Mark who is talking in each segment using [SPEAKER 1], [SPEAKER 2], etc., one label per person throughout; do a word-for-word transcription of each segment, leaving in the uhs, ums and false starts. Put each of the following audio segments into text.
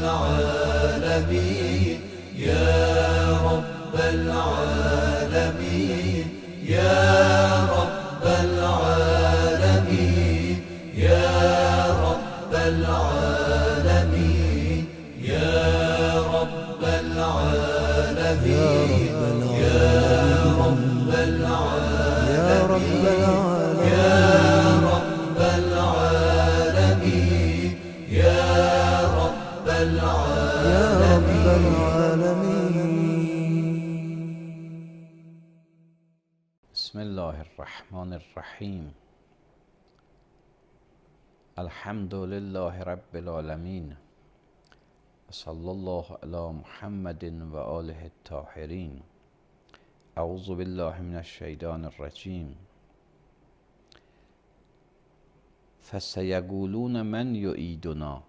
[SPEAKER 1] العالمين يا رب العالمين يا رب العالمين يا رب العالمين يا رب العالمين يا رب العالمين يا رب العالمين يا رب العالمين.
[SPEAKER 2] بسم الله الرحمن الرحیم. الحمد لله رب العالمین. صلی الله علی محمد و آله الطاهرین. اعوذ بالله من الشیطان الرجیم. فسیقولون من یعیدنا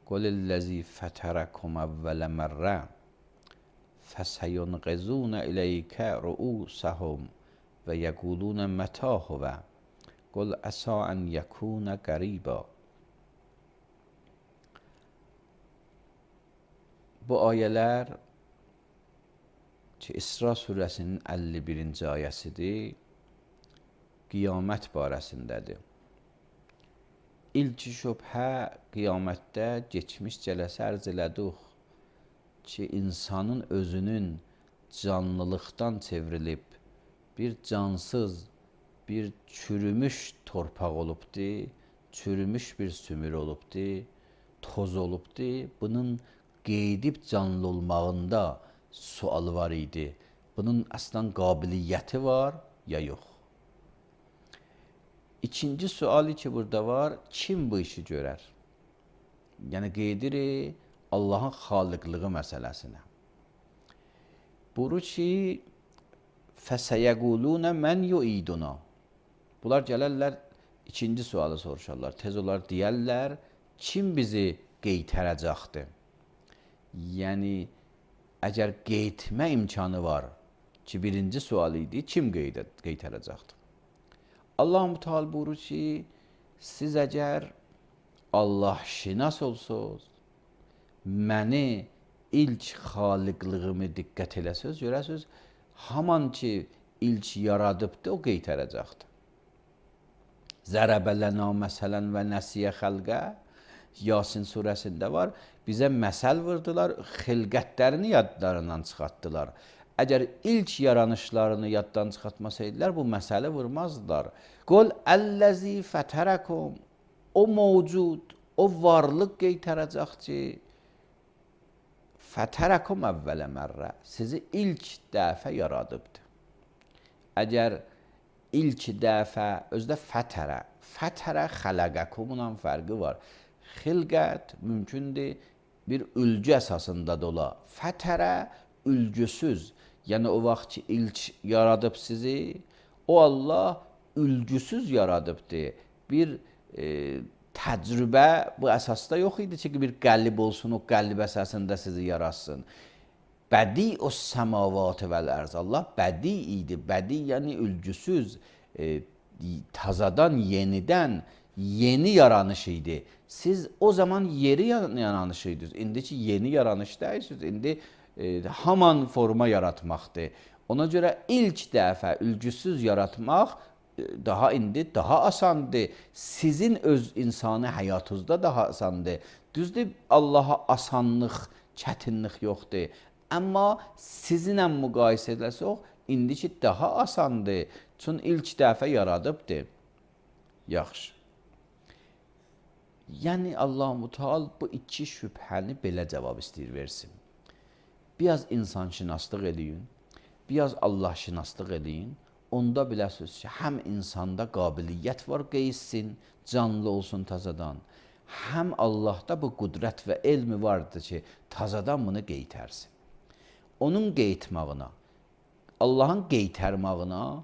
[SPEAKER 2] قل الذی فطرکم اول مره فسینغضون الیک رؤوسهم و یقولون متی هو قل عسی ان یکون قریبا. Bu ayələr ki, İsra surəsinin əlli birinci ayəsidir, qiyamət barəsindədir. İlk şübhə qiyamətdə geçmiş cələsə ərz elədik ki, insanın özünün canlılıqdan çevrilib bir cansız, bir çürümüş torpaq olubdur, çürümüş bir sümür olubdur, toz olubdur. Bunun qeydib canlı olmağında sualı var idi. Bunun əslən qabiliyyəti var ya yox? İkinci sualı ki burada var, kim bu işi görər? Yəni qeydirik Allahın xaliqlığı məsələsinə. Buyurur ki, fəsəyəqulunə mən yuiduna. Bunlar gələrlər, ikinci sualı soruşarlar. Tez olar deyərlər, kim bizi qeytərəcəkdir? Yəni, əgər qeytmə imkanı var ki, birinci sual idi, kim qeytərəcəkdir? Allah-u Teala buyurur ki, siz əgər Allah şinas olsuz, məni ilk xaliqlığımı diqqət eləsəz, görəsiz, haman ki ilk yaradıbdır, o qeytərəcəkdir. Zərəbələnə məsələn və nəsiyə xəlqə Yasin surəsində var. Bizə məsəl vurdular, xilqətlərini yadlarından çıxartdılar. Əgər ilk yaranışlarını yaddan çıxartmasaydılar, bu məsələ vurmazdılar. Qul əlləzi fətərəkum. O mövcud, o varlıq qeytərəcək ki, fətərəkum əvvələ mərrə. Sizi ilk dəfə yaradıbdır. Əgər ilk dəfə, özdə fətərə, fətərə xələqəkumunun fərqi var. Xilqət mümkündür bir ülgü əsasında da ola. Fətərə ülgüsüz. Yəni o vaxt ki ilk yaradıb sizi, o Allah ülgüsüz yaradıbdır. Bir e, təcrübə bu əsasda yox idi ki, bir qəlib olsun, o qəlib əsasında sizi yaratsın. Bədi o səmavat vəl ərz. Allah bədi idi. Bədi yəni ülgüsüz, e, tazadan, yenidən, yeni yaranış idi. Siz o zaman yeri yaranış idiniz. İndiki yeni yaranış deyirsiniz. İndi e, haman forma yaratmaqdır. Ona görə ilk dəfə ülgüsüz yaratmaq e, daha indi daha asandır. Sizin öz insani həyatınızda daha asandır. Düzdür, Allaha asanlıq, çətinlik yoxdur. Amma sizinlə müqayisə edilsək, indiki daha asandır. Çünki ilk dəfə yaradıbdır. Yaxşı. Yəni Allah-u Teala bu iki şübhəni belə cavab istəyir versin. Biraz insanşünaslıq eləyin, biraz Allahşünaslıq eləyin. Onda biləsiniz ki, həm insanda qabiliyyət var qeyssin, canlı olsun tazadan. Həm Allahda bu qüdrət və elmi vardır ki, tazadan bunu qeytərsin. Onun qeytmağına, Allahın qeytərmağına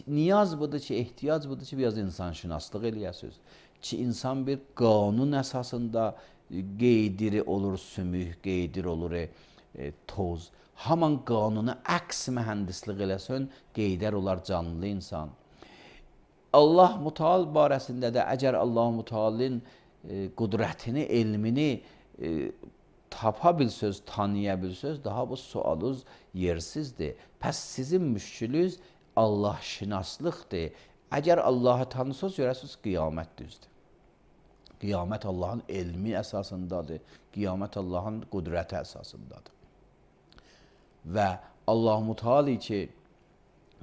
[SPEAKER 2] niyaz budur ki, ehtiyac budur ki, biraz insanşünaslıq eləyəsiniz. Ki, insan bir qanun əsasında qeydiri olur sümük, qeydir olur e, toz. Haman qanunu əks mühəndislik eləsən, qeydər olar canlı insan. Allah Müteal barəsində də əgər Allah Mütealın e, qudrətini, elmini e, tapa bilsəz, tanıya bilsəz, daha bu sualınız yersizdir. Pəs sizin müşkülünüz Allah şinaslıqdır. Əgər Allahı tanısınız, görəsiniz qiyamət düzdür. Qiyamət Allahın elmi əsasındadır. Qiyamət Allahın qudrəti əsasındadır. Və Allah-u Teala ki,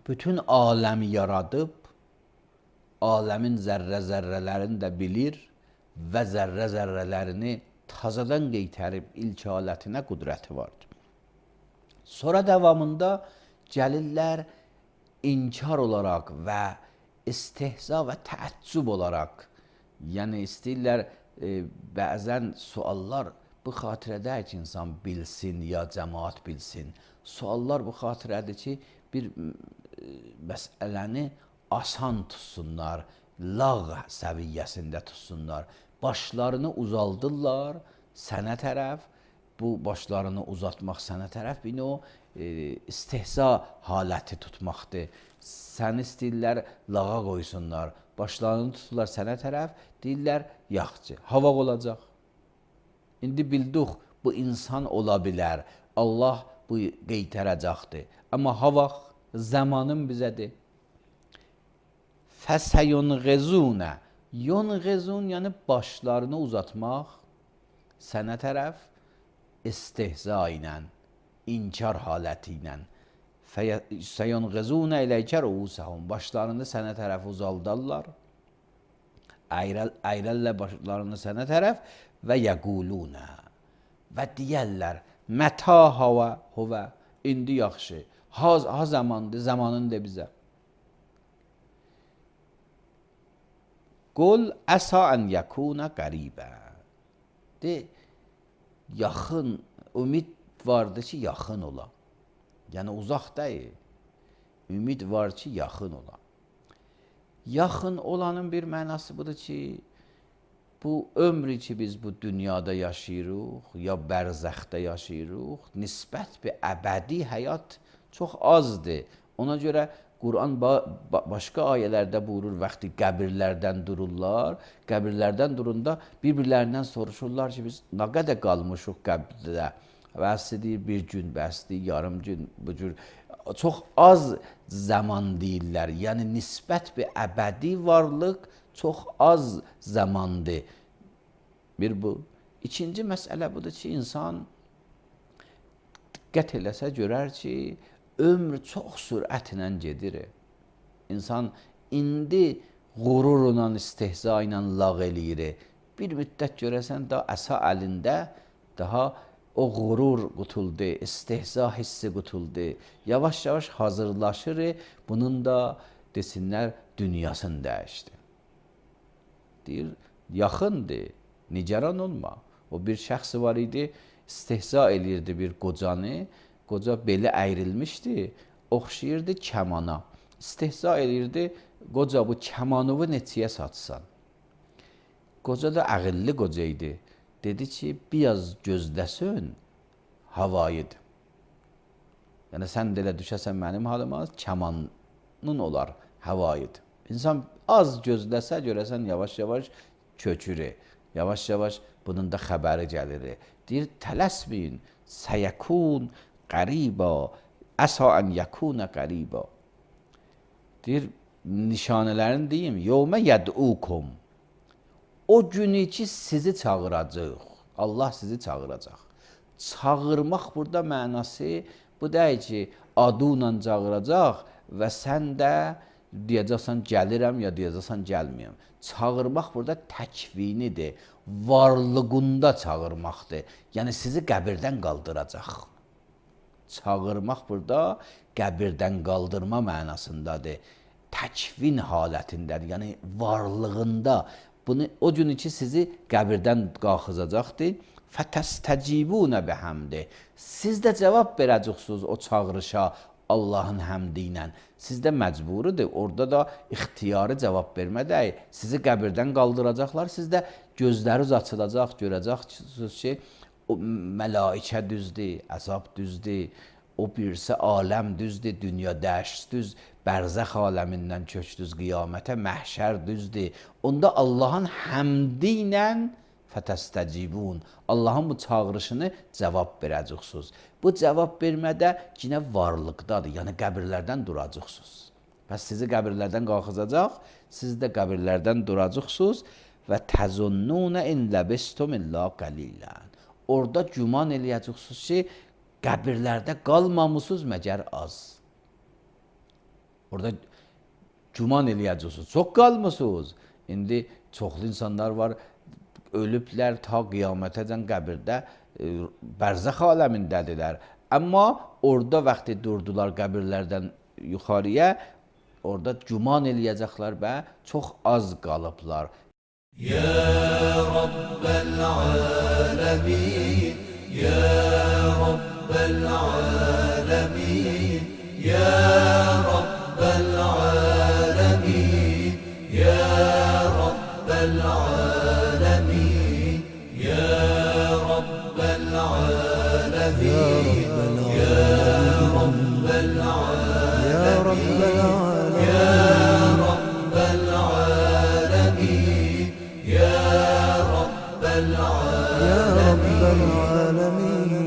[SPEAKER 2] bütün aləmi yaradıb, aləmin zərrə-zərrələrini də bilir və zərrə-zərrələrini tazadan qeytərib ilk alətinə qudrəti vardır. Sonra davamında gəlirlər inkar olaraq və istehza və təəccüb olaraq, yəni istəyirlər e, bəzən suallar bu xatirədə ki, insan bilsin ya cəmaat bilsin. Suallar bu xatirədir ki, bir e, məsələni asan tutsunlar, lağ səviyyəsində tutsunlar. Başlarını uzaldırlar sənə tərəf, bu başlarını uzatmaq sənə tərəf bir o e, istehza haləti tutmaqdır. Səni istəyirlər lağa qoysunlar, başlarını tuturlar sənə tərəf, deyirlər yaxçı, havaq olacaq. İndi bildik bu insan ola bilər, Allah bu qeytərəcəkdir. Amma havaq zamanın bizədir. Fəsəyunğezunə, yunğezun yəni başlarını uzatmaq sənə tərəf istehza ilə, inkar haləti ilə. Fəsəyunğezunə iləykə rüusəhum, başlarını sənə tərəf uzaldarlar, əyrəllə başlarını sənə tərəf və yəqulunə və deyərlər mətə havə huvə, indi yaxşı, ha, ha zamandır, zamanındır bizə. Qul əsa ən yəkuna qəribə. De, yaxın, ümid vardır ki, yaxın ola. Yəni, uzaq deyil. Ümid var ki, yaxın ola. Yaxın olanın bir mənası budur ki, bu ömrü ki, biz bu dünyada yaşayırıq, ya bərzəxdə yaşayırıq, nisbət bir əbədi həyat çox azdır. Ona görə Quran ba başqa ayələrdə buyurur, vaxtı qəbirlərdən dururlar, qəbirlərdən durunda bir-birlərindən soruşurlar ki, biz nə qədər qalmışıq qəbirdə? Bəsi deyir, bir gün, bəsi deyir, yarım gün, bu cür. Çox az zaman deyirlər, yəni nisbət bir əbədi varlıq çox az zamandır. Bir bu. İkinci məsələ budur ki, insan diqqət eləsə görər ki, ömr çox sürətlə gedir. İnsan indi qürurla, istehza ilə lağ eləyir. Bir müddət görəsən, da əsa əlində daha o qürur qutuldu, istehza hissi qutuldu. Yavaş-yavaş hazırlaşır, bunun da desinlər dünyasını dəyişdi. Deyir, yaxındır, nigaran olma. O bir şəxs var idi, istehza eləyirdi bir qocanı. Qoca beli əyrilmişdi, oxşayırdı kəmana. İstehza eləyirdi, qoca bu kəmanıvı neçəyə satsan? Qoca da ağıllı qoca idi. Dedi ki, biraz gözləsin, havayıdır. Yəni, sən də elə düşəsən mənim halıma, kəmanın olar, havayıdır. İnsan az gözləsə, görəsən, yavaş-yavaş kökürü. Yavaş-yavaş bunun da xəbəri gəlir. Deyir, tələsməyin, səyəkun qəribə, əsa ən yəkunə qəribə. Deyir, nişanələrini deyim, yevmə yəd'ukum. O günü ki, sizi çağıracaq, Allah sizi çağıracaq. Çağırmaq burada mənası, bu deyil ki, adıyla çağıracaq və sən də deyəcəksən gəlirəm ya deyəcəksən gəlməyəm. Çağırmaq burada təkvinidir, varlığında çağırmaqdır. Yəni, sizi qəbirdən qaldıracaq. Çağırmaq burada qəbirdən qaldırma mənasındadır. Təkvin halətindədir, yəni varlığında. Bunu, o gün ki, sizi qəbirdən qalxızacaqdır. Fətəstəcibunə bəhəmdi. Siz də cavab verəcəksiniz o çağırışa Allahın həmdi ilə. Siz də məcburudur. Orada da ixtiyarı cavab vermədək. Sizi qəbirdən qaldıracaqlar. Siz də gözləriniz açılacaq, görəcəksiniz ki, o məlaikə düzdür, əzab düzdür. o birisi aləm düzdür, dünya dəşt düz, bərzəx aləmindən köçdüz qiyamətə, məhşər düzdür. Onda Allahın həmdi ilə fətəstəcibun. Allahın bu çağırışını cavab verəcəksiniz. Bu cavab vermədə yine varlıqdadır, yəni qəbirlərdən duracaqsınız. Bəs sizi qəbirlərdən qalxızacaq, siz də qəbirlərdən duracaqsınız və təzunnuna in labistum illa qalilən. Orada güman eləyəcəksiniz ki, qəbirlərdə qalmamısınız məgər az. Orada güman eləyəcəksiniz, çox qalmısınız. İndi çoxlu insanlar var, ölüblər ta qiyamətəcən qəbirdə e, bərzəx aləmindədirlər. Amma orada vaxtı durdular qəbirlərdən yuxarıya, orada güman eləyəcəklər və çox az qalıblar.
[SPEAKER 1] Ya Rabbel alemin, Ya Rabbel alemin, Ya Rabbel alemin, Ya Rabbel alemin, Ya Rabbel alemin, Ya Rabbel alemin,
[SPEAKER 3] Ya Rabbel alemin,
[SPEAKER 1] Ya Rabbel alemin, Ya Rabbel
[SPEAKER 3] Ya Rabbel alemin.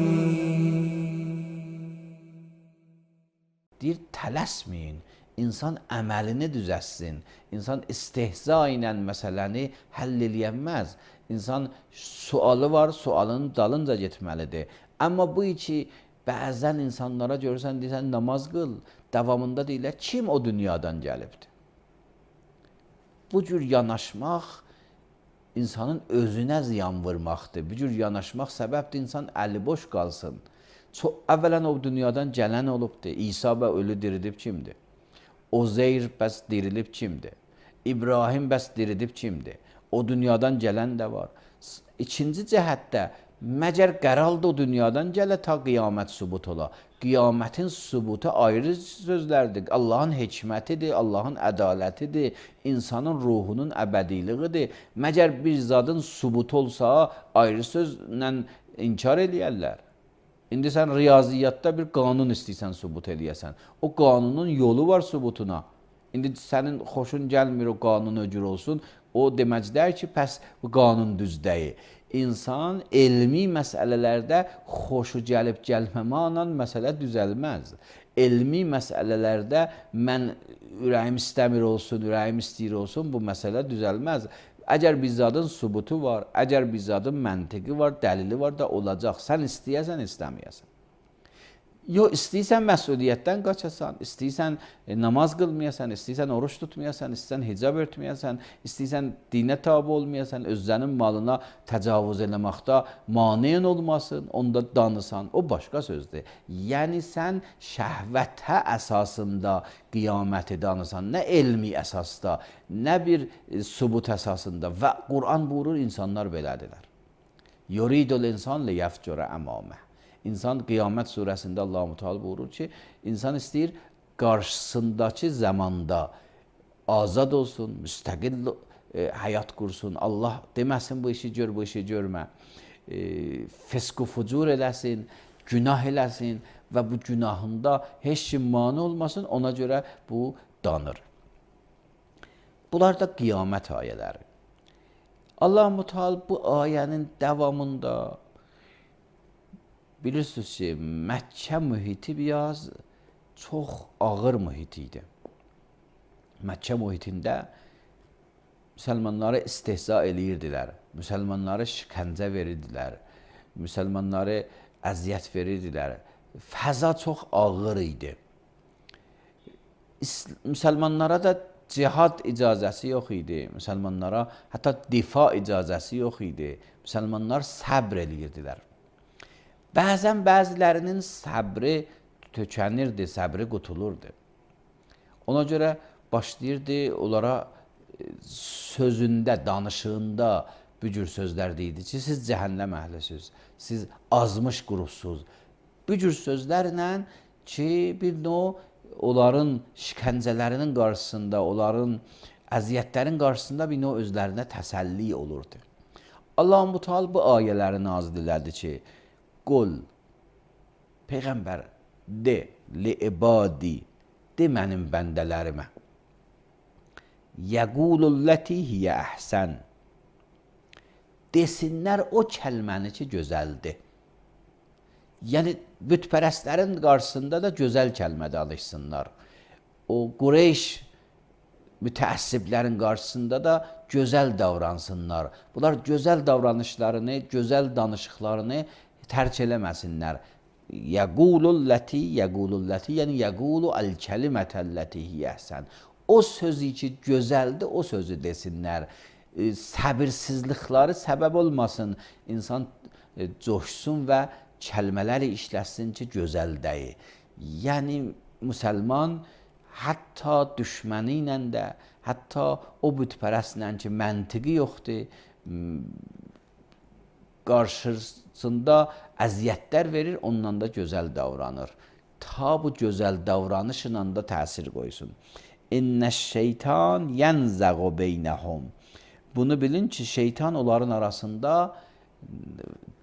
[SPEAKER 2] Deyir, tələsməyin, insan əməlini düzəssin, insan istehza ilə məsələni həll eləyənməz. İnsan sualı var, sualının dalınca getməlidir. Amma bu iki bəzən insanlara görürsən, deyirsən, namaz qıl, davamında deyirlər, kim o dünyadan gəlibdir? Bu cür yanaşmaq insanın özünə ziyan vurmaqdır. Bu cür yanaşmaq səbəbdir, insan əli boş qalsın. Çox əvvələn o dünyadan gələn olubdur. İsa və ölü diridib kimdir? Ozeyr bəs dirilib kimdir? İbrahim bəs diridib kimdir? O dünyadan gələn də var. İkinci cəhətdə, məgər qəraldı o dünyadan gələ ta qiyamət sübut ola. Qiyamətin sübutu ayrı sözlərdir. Allahın hikmətidir, Allahın ədalətidir, insanın ruhunun əbədiliğidir. Məgər bir zadın sübutu olsa, ayrı sözlə inkar eləyərlər. İndi sən riyaziyyatda bir qanun istəyirsən sübut eləyəsən. O qanunun yolu var sübutuna. İndi sənin xoşun gəlmir o qanun öcür olsun. O deməclər ki, pəs bu qanun düz deyil. İnsan elmi məsələlərdə xoşu gəlib gəlməməklə məsələ düzəlməz. Elmi məsələlərdə mən ürəyim istəmir olsun, ürəyim istəyir olsun, bu məsələ düzəlməz. Əgər bir zadın sübutu var, əgər bir zadın məntiqi var, dəlili var da olacaq. Sən istəyəsən, istəməyəsən. Yox, istəyirsən məsuliyyətdən qaçasan, istəyirsən namaz qılmayasan, istəyirsən oruç tutmayasan, istəyirsən hicab örtməyəsən, istəyirsən dinə tabi olmayasan, özlərinin malına təcavüz eləməkdə maneyn olmasın, onda danısan, o başqa sözdür. Yəni sən şəhvətə əsasında qiyaməti danısan, nə elmi əsasda, nə bir sübut əsasında və Quran buyurur, insanlar belədirlər. Yuridul insan liyəfcura əmamə. İnsan qiyamət surəsində Allah-u Teala buyurur ki, insan istəyir qarşısındakı zamanda azad olsun, müstəqil e, həyat qursun. Allah deməsin bu işi gör, bu işi görmə. E, Fisq-u fucur eləsin, günah eləsin və bu günahında heç kim mane olmasın, ona görə bu danır. Bunlar da qiyamət ayələri. Allah-u Teala bu ayənin davamında bilirsiniz ki, Məkkə mühiti biraz çox ağır mühit idi. Məkkə mühitində müsəlmanları istehza eləyirdilər, müsəlmanları şikəncə verirdilər, müsəlmanları əziyyət verirdilər. Fəza çox ağır idi. Müsəlmanlara da cihad icazəsi yox idi, müsəlmanlara hətta difa icazəsi yox idi. Müsəlmanlar səbr eləyirdilər. Bəzən bəzilərinin səbri tökənirdi, səbri qutulurdu. Ona görə başlayırdı onlara sözündə, danışığında bu cür sözlər deyildi ki, siz cəhənnəm əhlisiniz, siz azmış qurupsuz. Bu cür sözlərlə ki, bir növ onların şikəncələrinin qarşısında, onların əziyyətlərin qarşısında bir növ özlərinə təsəlli olurdu. Allah-u Teala bu ayələri nazil elədi ki, qul, Peyğəmbər, de li ibadi, de mənim bəndələrimə. Yəqulullati hiyə əhsən, desinlər o kəlməni ki, gözəldir. Yəni, bütpərəstlərin qarşısında da gözəl kəlmədə alışsınlar. O Qureyş mütəəssiblərin qarşısında da gözəl davransınlar. Bunlar gözəl davranışlarını, gözəl danışıqlarını tərk eləməsinlər. Yəqulullati, yəqulullati, yəni yəqulu əl-kəlimətəlləti hiyəhsən. O sözü ki, gözəldir, o sözü desinlər. E, səbirsizlikləri səbəb olmasın, insan e, coşsun və kəlmələri işləsin ki, gözəl deyil. Yəni, müsəlman hətta düşməni ilə də, hətta o bütpərəstlə ki, məntiqi yoxdur, qarşısında əziyyətlər verir, ondan da gözəl davranır. Ta bu gözəl davranışla da təsir qoysun. İnnəş-şeytan yənzəğu beynəhum. Bunu bilin ki, şeytan onların arasında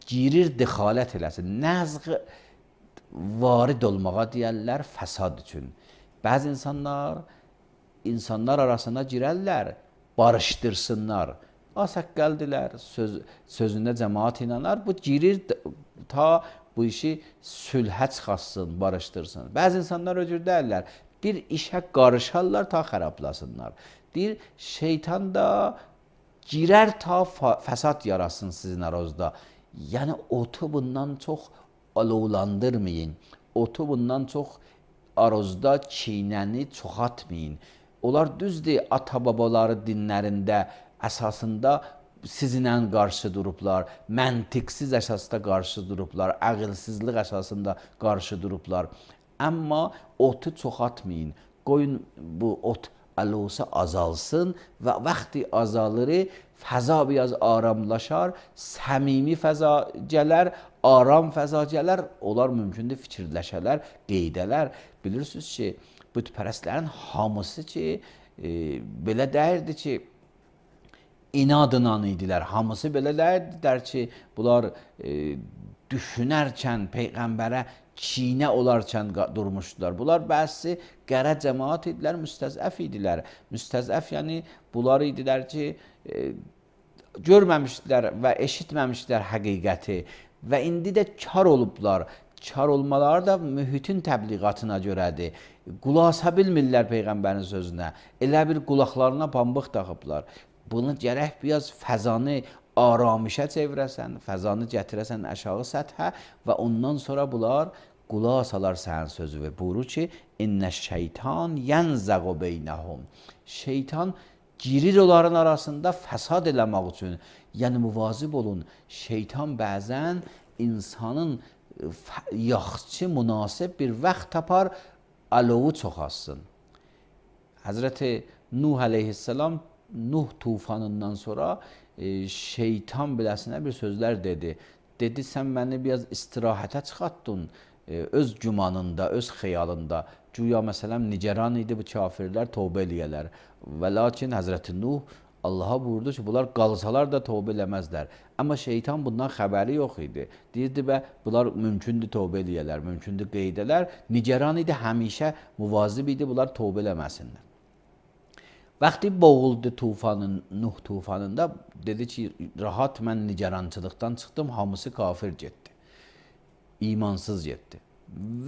[SPEAKER 2] girir, dixalət eləsin. Nəzğ varid olmağa deyərlər fəsad üçün. Bəzi insanlar, insanlar arasına girərlər, barışdırsınlar. Asəqqəldilər, söz, sözündə cəmaat inanar. Bu girir ta bu işi sülhə çıxasın, barışdırsın. Bəzi insanlar öcür deyərlər, bir işə qarışarlar ta xərablasınlar. Deyir, şeytan da girər ta fəsad yarasın sizin aranızda. Yəni, otu bundan çox alovlandırmayın. Otu bundan çox aranızda çiynəni çoxatmayın. Onlar düzdür, ata-babaları dinlərində əsasında sizinlə qarşı durublar, məntiqsiz əsasda qarşı durublar, əqilsizlik əsasında qarşı durublar. Amma otu çoxatmayın. Qoyun bu ot alosu azalsın və vaxtı azalırı, fəza biraz aramlaşar, səmimi fəza gələr, aram fəza gələr, onlar mümkündür fikirləşələr, qeydələr. Bilirsiniz ki, bütpərəstlərin hamısı ki, e, belə deyirdi ki, inadla idilər. Hamısı belə deyirlər ki, bunlar e, düşünərkən Peyğəmbərə çiynə olarkən durmuşdular. Bunlar bəzi qərə cəmaat idilər, müstəzəf idilər. Müstəzəf yəni bunlar idilər ki, e, görməmişdilər və eşitməmişdilər həqiqəti və indi də kar olublar. Kar olmaları da mühitin təbliğatına görədir. Qulasa bilmirlər Peyğəmbərin sözünə. Elə bir qulaqlarına pambıq taxıblar. Bunu gərək biraz fəzanı aramışə çevirəsən, fəzanı gətirəsən aşağı səthə və ondan sonra bunlar qulaq salar sənin sözü və buyurur ki, İnnəş-şeytan yənzəğu beynəhum. Şeytan girir onların arasında fəsad eləmək üçün. Yəni, müvazib olun. Şeytan bəzən insanın yaxşı, münasib bir vaxt tapar, alovu çoxalsın. Həzrəti Nuh əleyhissalam Nuh tufanından sonra e, şeytan biləsinə bir sözlər dedi. Dedi, sən məni biraz istirahətə çıxartdın, e, öz gümanında, öz xəyalında. Güya məsələn, nigeran idi bu kafirlər, tövbə eləyələr. Və lakin Həzrəti Nuh Allaha buyurdu ki, bunlar qalsalar da tövbə eləməzlər. Amma şeytan bundan xəbəri yox idi. Deyirdi, bə, bunlar mümkündür tövbə eləyələr, mümkündür qeydələr. Nigeran idi, həmişə muvazib idi, bunlar tövbə eləməsinlər. Vaxtı boğuldu tufanın, Nuh tufanında, dedi ki, rahat mən nigerançılıqdan çıxdım, hamısı kafir getdi. İmansız getdi.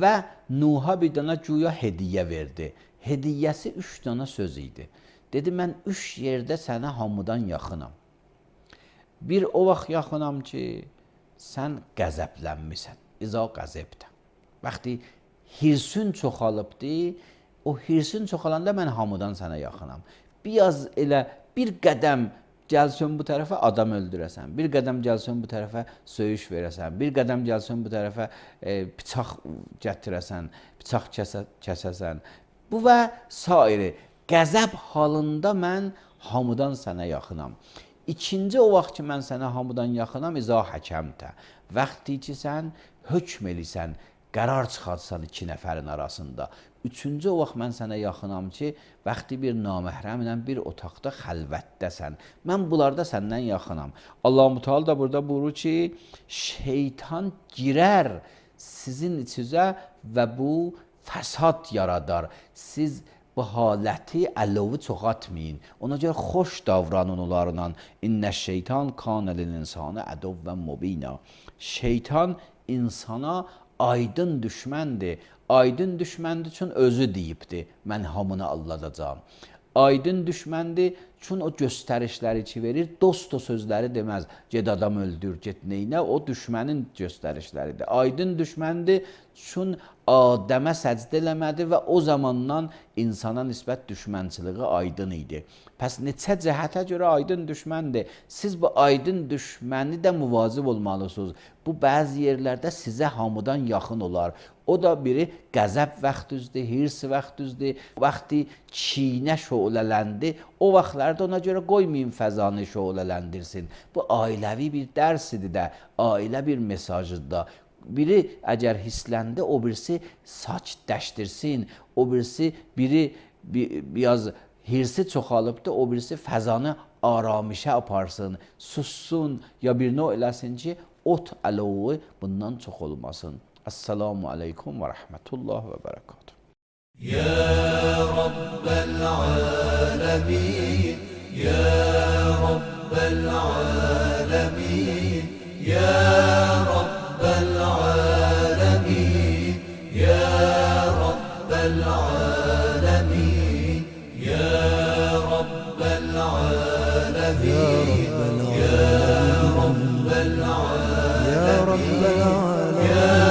[SPEAKER 2] Və Nuh'a bir dana güya hediyə verdi. Hediyyəsi üç dana söz idi. Dedi, mən üç yerdə sənə hamıdan yaxınam. Bir o vaxt yaxınam ki, sən qəzəblənmisən. İza qəzəbdə. Vaxtı hirsin çoxalıbdı, o hirsin çoxalanda mən hamıdan sənə yaxınam. Biraz elə bir qədəm gəlsin bu tərəfə adam öldürəsən, bir qədəm gəlsin bu tərəfə söyüş verəsən, bir qədəm gəlsin bu tərəfə e, bıçaq gətirəsən, bıçaq kəsə, kəsəsən. Bu və sairi qəzəb halında mən hamıdan sənə yaxınam. İkinci o vaxt ki, mən sənə hamıdan yaxınam, izah həkəmtə. Vaxtı ki, sən hökm elisən, qərar çıxartsan iki nəfərin arasında. Üçüncü o vaxt mən sənə yaxınam ki, vaxtı bir naməhrəmlə bir otaqda xəlvətdəsən. Mən bunlarda səndən yaxınam. Allah-u Teala da burada buyurur ki, şeytan girər sizin içinizə və bu fəsad yaradar. Siz bu haləti əlovu çoxaltmayın. Ona görə xoş davranın onlarla. İnnə şeytan kana lil insani əduvvən mubina. Şeytan insana aydın düşməndir. Aydın düşməndir üçün özü deyibdir. Mən hamını alladacağam. Aydın düşməndir çünki o göstərişləri ki verir, dost o sözləri deməz. Ged adam öldür, get neynə, o düşmənin göstərişləridir. Aydın düşməndir çünki Adəmə səcdə eləmədi və o zamandan insana nisbət düşmənçiliği aydın idi. Pəs neçə cəhətə görə aydın düşməndir. Siz bu aydın düşməni də müvazib olmalısınız. Bu bəzi yerlərdə sizə hamıdan yaxın olar. O da biri qəzəb vaxtüzdür, hirs vaxtüzdür. Vaxtı çiynə şölələndi, o vaxtlarda ona görə qoymayın fəzanı şöələləndirsin. Bu ailəvi bir dərsidir də, ailə bir mesajıdır da. Biri əgər hissləndi, o birisi saç dəşdirsin, o birisi biri biraz hirsi çoxalıbdır, o birisi fəzanı aramişə aparsın, sussun ya bir növ eləsin ki, ot əlovu bundan çox olmasın. Esselamu aleykum və rəhmətullah və bərəkatuhu.
[SPEAKER 1] Ya Rabbel alemin, Ya Rabbel alemin, Ya Rabbel alemin, Ya Rabbel alemin, Ya Rabbel alemin, Ya Rabbel alemin,
[SPEAKER 3] يا رب العالمين.